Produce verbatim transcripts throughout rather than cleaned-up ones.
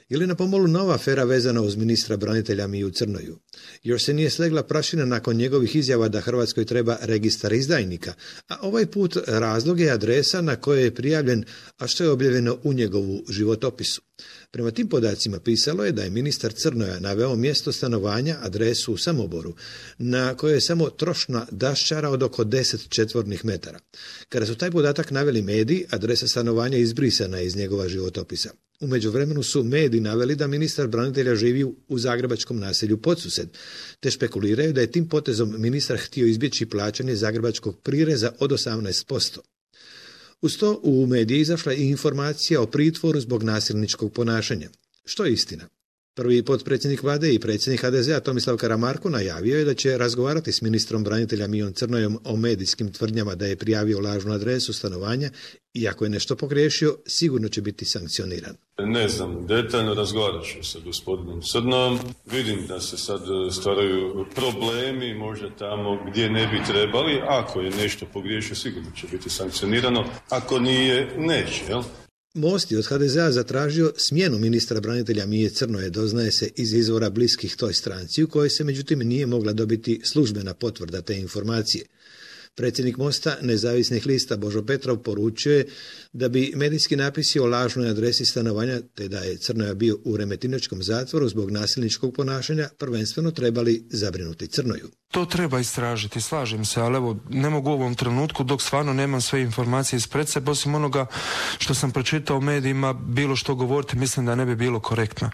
Je li na pomolu nova afera vezana uz ministra branitelja Miju Crnoju? Još se nije slegla prašina nakon njegovih izjava da Hrvatskoj treba registar izdajnika, a ovaj put razlog je adresa na kojoj je prijavljen, a što je objavljeno u njegovu životopisu. Prema tim podacima pisalo je da je ministar Crnoja naveo mjesto stanovanja, adresu u Samoboru, na kojoj je samo trošna daščara od oko deset četvornih metara. Kada su taj podatak naveli mediji, adresa stanovanja izbrisana je iz njegova životopisa. U međuvremenu su mediji naveli da ministar branitelja živi u zagrebačkom naselju Podsused, te špekuliraju da je tim potezom ministar htio izbjeći plaćanje zagrebačkog prireza od osamnaest posto. Uz to u mediji izašla i informacija o pritvoru zbog nasilničkog ponašanja. Što je istina? Prvi potpredsjednik vlade i predsjednik ha de zea Tomislav Karamarko najavio je da će razgovarati s ministrom branitelja Mijom Crnojom o medijskim tvrdnjama da je prijavio lažnu adresu stanovanja i ako je nešto pogriješio, sigurno će biti sankcioniran. Ne znam, detaljno razgovarat ću sa gospodinom Crnojom. Vidim da se sad stvaraju problemi, možda tamo gdje ne bi trebali. Ako je nešto pogriješio, sigurno će biti sankcionirano. Ako nije, neće, jel? Most je od ha de zea zatražio smjenu ministra branitelja Mije Crnoje, doznaje se iz izvora bliskih toj stranci, u kojoj se međutim nije mogla dobiti službena potvrda te informacije. Predsjednik Mosta nezavisnih lista Božo Petrov poručio je da bi medijski napisi o lažnoj adresi stanovanja, te da je Crnoja bio u Remetinačkom zatvoru zbog nasilničkog ponašanja, prvenstveno trebali zabrinuti Crnoju. To treba istražiti, slažem se, ali evo, ne mogu u ovom trenutku, dok stvarno nemam sve informacije ispred sebe, osim onoga što sam pročitao u medijima, bilo što govoriti, mislim da ne bi bilo korektno.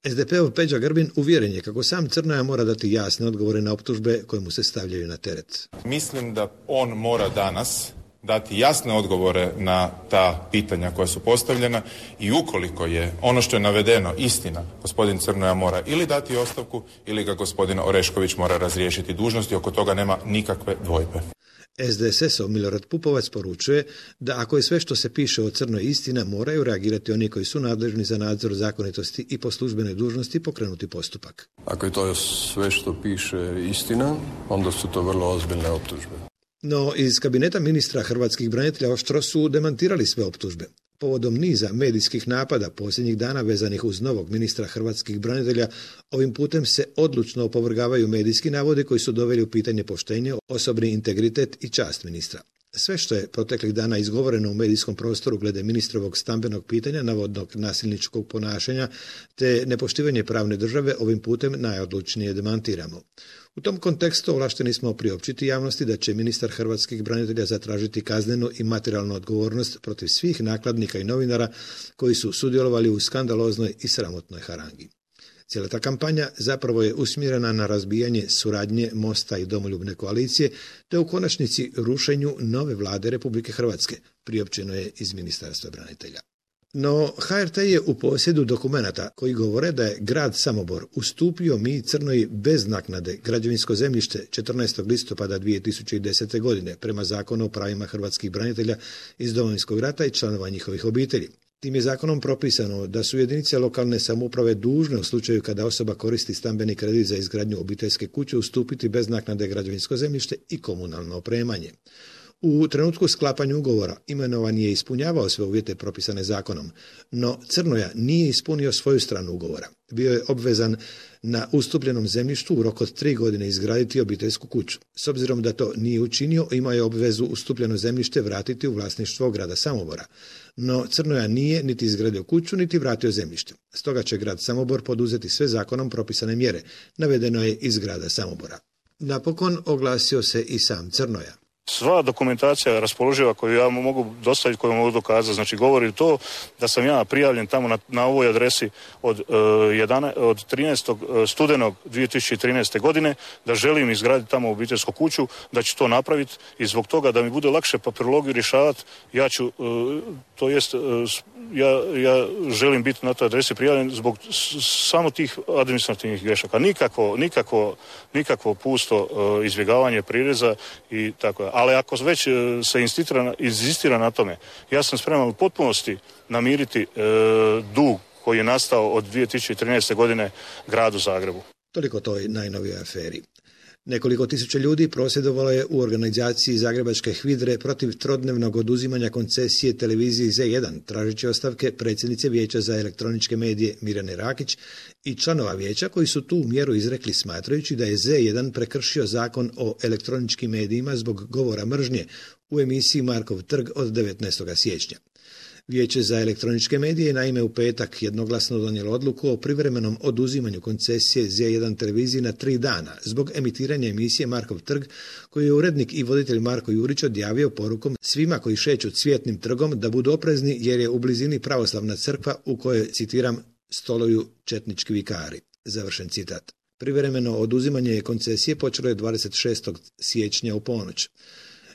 es de pe-ov Peđa Grbin uvjeren je kako sam Crnoja mora dati jasne odgovore na optužbe koje mu se stavljaju na teret. Mislim da on mora danas dati jasne odgovore na ta pitanja koja su postavljena i ukoliko je ono što je navedeno istina, gospodin Crnoja mora ili dati ostavku ili ga gospodin Orešković mora razriješiti dužnosti, oko toga nema nikakve dvojbe. es de es es-ov Milorad Pupovac poručuje da ako je sve što se piše o Crnoj istina, moraju reagirati oni koji su nadležni za nadzor zakonitosti i po službenoj dužnosti pokrenuti postupak. Ako je to sve što piše istina, onda su to vrlo ozbiljne optužbe. No, iz kabineta ministra hrvatskih branitelja oštro su demantirali sve optužbe. Povodom niza medijskih napada posljednjih dana vezanih uz novog ministra hrvatskih branitelja, ovim putem se odlučno opovrgavaju medijski navodi koji su doveli u pitanje poštenje, osobni integritet i čast ministra. Sve što je proteklih dana izgovoreno u medijskom prostoru glede ministrovog stambenog pitanja, navodnog nasilničkog ponašanja te nepoštivanje pravne države ovim putem najodlučnije demantiramo. U tom kontekstu ovlašteni smo priopćiti javnosti da će ministar hrvatskih branitelja zatražiti kaznenu i materijalnu odgovornost protiv svih nakladnika i novinara koji su sudjelovali u skandaloznoj i sramotnoj harangi. Cijela ta kampanja zapravo je usmjerena na razbijanje suradnje Mosta i Domoljubne koalicije, te u konačnici rušenju nove vlade Republike Hrvatske, priopćeno je iz Ministarstva branitelja. No, ha er te je u posjedu dokumenata koji govore da je grad Samobor ustupio Miji Crnoji bez naknade građevinsko zemljište četrnaestog listopada dvije tisuće desete. godine prema Zakonu o pravima hrvatskih branitelja iz Domovinskog rata i članova njihovih obitelji. Tim je zakonom propisano da su jedinice lokalne samouprave dužne u slučaju kada osoba koristi stambeni kredit za izgradnju obiteljske kuće ustupiti bez naknade građevinsko zemljište i komunalno opremanje. U trenutku sklapanja ugovora imenovan je ispunjavao sve uvjete propisane zakonom, no Crnoja nije ispunio svoju stranu ugovora. Bio je obvezan na ustupljenom zemljištu u roku od tri godine izgraditi obiteljsku kuću. S obzirom da to nije učinio, imao je obvezu ustupljeno zemljište vratiti u vlasništvo grada Samobora. No Crnoja nije niti izgradio kuću, niti vratio zemljište. Stoga će grad Samobor poduzeti sve zakonom propisane mjere, navedeno je iz grada Samobora. Napokon oglasio se i sam Crnoja. Sva dokumentacija raspoloživa koju ja mogu dostaviti, koju mogu dokazati, znači govori to da sam ja prijavljen tamo na, na ovoj adresi od, uh, jedana, od trinaestog studenog dvije tisuće trinaeste. godine, da želim izgraditi tamo obiteljsku kuću, da ću to napraviti i zbog toga da mi bude lakše papirologiju rješavati, ja ću, uh, to jest, uh, ja, ja želim biti na toj adresi prijavljen zbog s, samo tih administrativnih grešaka. Nikako, nikako, nikako pusto uh, izbjegavanje prireza i tako je. Ali ako već se inzistira na tome, ja sam spreman u potpunosti namiriti e, dug koji je nastao od dvije tisuće trinaeste. godine gradu Zagrebu. Toliko toj najnovijoj aferi. Nekoliko tisuća ljudi prosvjedovalo je u organizaciji Zagrebačke HVIDRE protiv trodnevnog oduzimanja koncesije televiziji Z jedan, tražeći ostavke predsjednice Vijeća za elektroničke medije Mirjane Rakić i članova vijeća koji su tu mjeru izrekli smatrajući da je Z jedan prekršio zakon o elektroničkim medijima zbog govora mržnje u emisiji Markov trg od devetnaestog siječnja. Vijeće za elektroničke medije je naime u petak jednoglasno donijelo odluku o privremenom oduzimanju koncesije Z jedan televiziji na tri dana zbog emitiranja emisije Markov trg koju je urednik i voditelj Marko Jurić odjavio porukom svima koji šeću Cvjetnim trgom da budu oprezni jer je u blizini pravoslavna crkva u kojoj, citiram, stoluju četnički vikari. Završen citat. Privremeno oduzimanje koncesije počelo je dvadeset šestog siječnja u ponoć.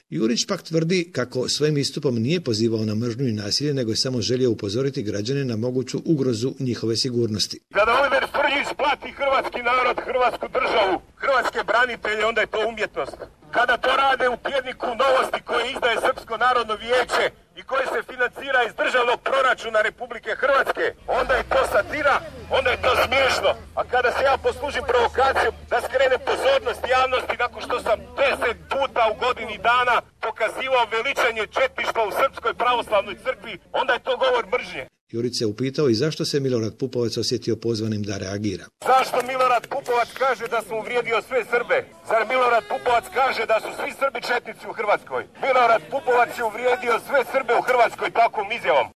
Jurić pak tvrdi kako svojim istupom nije pozivao na mržnju i nasilje, nego je samo želio upozoriti građane na moguću ugrozu njihove sigurnosti. Kada Oliver Frljić blati hrvatski narod, hrvatsku državu, hrvatske branitelje, onda je to umjetnost. Kada to rade u tjedniku Novosti koje izdaje Srpsko narodno vijeće i koje se financira iz državnog proračuna Republike Hrvatske, onda je to satira, onda je to smiješno. A kada se ja poslužim provokacijom da skrenem pozornost javnosti nakon što sam deset puta u godini dana pokazivao veličanje četništva u Srpskoj pravoslavnoj crkvi, onda je to govor mržnje. Jurić se upitao i zašto se Milorad Pupovac osjetio pozvanim da reagira. Zašto Milorad Pupovac kaže da sam uvrijedio sve Srbe? Zar Milorad Pupovac kaže da su svi Srbi četnici u Hrvatskoj? Milorad Pupovac je uvrijedio sve Srbe u Hrvatskoj takvom izjavom.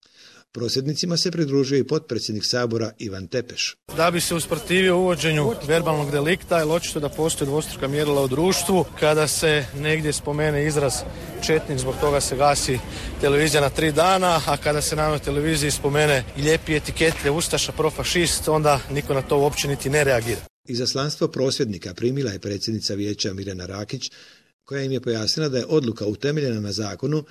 Prosvjednicima se pridružio i potpredsjednik Sabora Ivan Tepeš. Da bi se usprotivio uvođenju verbalnog delikta, je očito da postoje dvostruka mjerila u društvu. Kada se negdje spomene izraz četnik, zbog toga se gasi televizija na tri dana, a kada se na televiziji spomene i lijepi etikete ustaša, profašist, onda niko na to uopće niti ne reagira. Izaslanstvo prosvjednika primila je predsjednica vijeća Mirjana Rakić, koja im je pojasnila da je odluka utemeljena na zakonu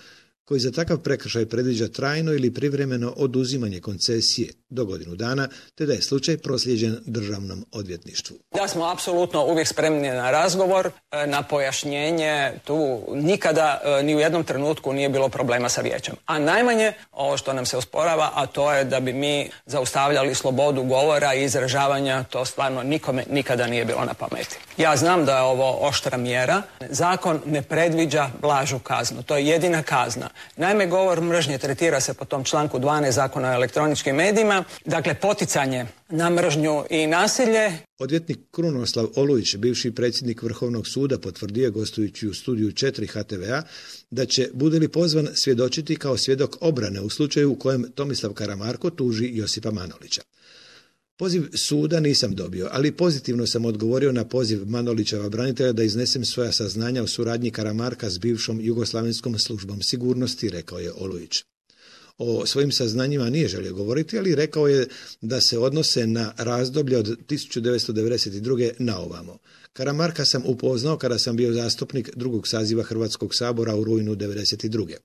koji za takav prekršaj predviđa trajno ili privremeno oduzimanje koncesije do godinu dana, te da je slučaj proslijeđen državnom odvjetništvu. Da smo apsolutno uvijek spremni na razgovor, na pojašnjenje. Tu nikada ni u jednom trenutku nije bilo problema sa vijećem. A najmanje ovo što nam se osporava, a to je da bi mi zaustavljali slobodu govora i izražavanja, to stvarno nikome nikada nije bilo na pameti. Ja znam da je ovo oštra mjera. Zakon ne predviđa blažu kaznu. To je jedina kazna. Naime, govor mržnje tretira se po tom članku dvanaest Zakona o elektroničkim medijima, dakle poticanje na mržnju i nasilje. Odvjetnik Krunoslav Olujić, bivši predsjednik Vrhovnog suda, potvrdio gostujući u studiju četiri H T V A da će, bude li pozvan, svjedočiti kao svjedok obrane u slučaju u kojem Tomislav Karamarko tuži Josipa Manolića. Poziv suda nisam dobio, ali pozitivno sam odgovorio na poziv Manolićeva branitelja da iznesem svoja saznanja o suradnji Karamarka s bivšom Jugoslavenskom službom sigurnosti, rekao je Olujić. O svojim saznanjima nije želio govoriti, ali rekao je da se odnose na razdoblje od tisuću devetsto devedeset druge na ovamo. Karamarka sam upoznao kada sam bio zastupnik drugog saziva Hrvatskog sabora u rujnu devedeset druge.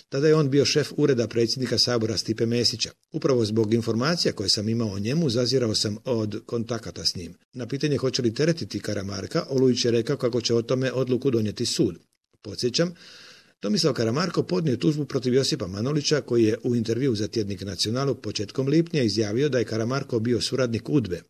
Tada je on bio šef ureda predsjednika Sabora Stipe Mesića. Upravo zbog informacija koje sam imao o njemu, zazirao sam od kontakata s njim. Na pitanje hoće li teretiti Karamarka, Olujić je rekao kako će o tome odluku donijeti sud. Podsjećam, Tomislav Karamarko podnio tužbu protiv Josipa Manolića, koji je u intervju za tjednik Nacionalu početkom lipnja izjavio da je Karamarko bio suradnik UDBE.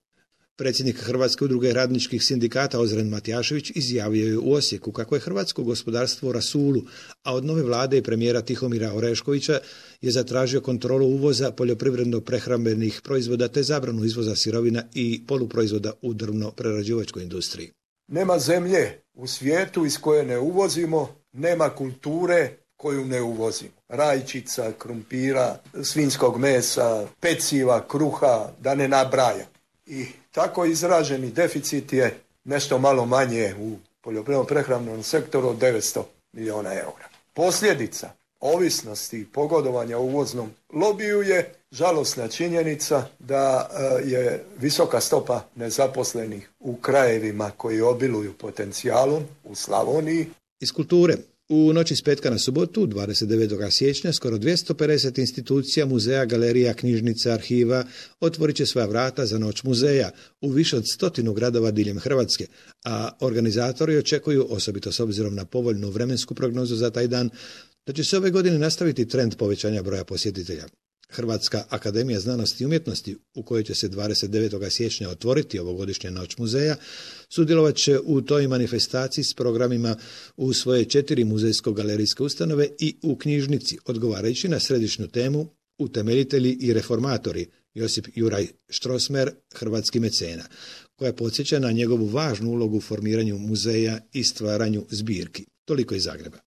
Predsjednik Hrvatske udruge radničkih sindikata Ozren Matijašević izjavio je u Osijeku kako je hrvatsko gospodarstvo u rasulu, a od nove vlade i premijera Tihomira Oreškovića je zatražio kontrolu uvoza poljoprivredno-prehrambenih proizvoda te zabranu izvoza sirovina i poluproizvoda u drvno-prerađivačkoj industriji. Nema zemlje u svijetu iz koje ne uvozimo, nema kulture koju ne uvozimo. Rajčica, krumpira, svinjskog mesa, peciva, kruha, da ne nabrajam. I tako izraženi deficit je nešto malo manje u poljoprivredno-prehrambenom sektoru od devetsto milijuna eura. Posljedica ovisnosti i pogodovanja uvoznom lobiju je žalosna činjenica da je visoka stopa nezaposlenih u krajevima koji obiluju potencijalom u Slavoniji. Iz kulture. U noći s petka na subotu, dvadeset devetog siječnja, skoro dvjesto pedeset institucija, muzeja, galerija, knjižnica, arhiva otvorit će svoja vrata za noć muzeja u više od stotinu gradova diljem Hrvatske, a organizatori očekuju, osobito s obzirom na povoljnu vremensku prognozu za taj dan, da će se ove godine nastaviti trend povećanja broja posjetitelja. Hrvatska akademija znanosti i umjetnosti, u kojoj će se dvadeset devetog siječnja otvoriti ovogodišnja noć muzeja, sudjelovat će u toj manifestaciji s programima u svoje četiri muzejsko-galerijske ustanove i u knjižnici, odgovarajući na središnju temu Utemeljitelji i reformatori, Josip Juraj Štrosmer, hrvatski mecena, koja podsjeća na njegovu važnu ulogu u formiranju muzeja i stvaranju zbirki. Toliko iz Zagreba.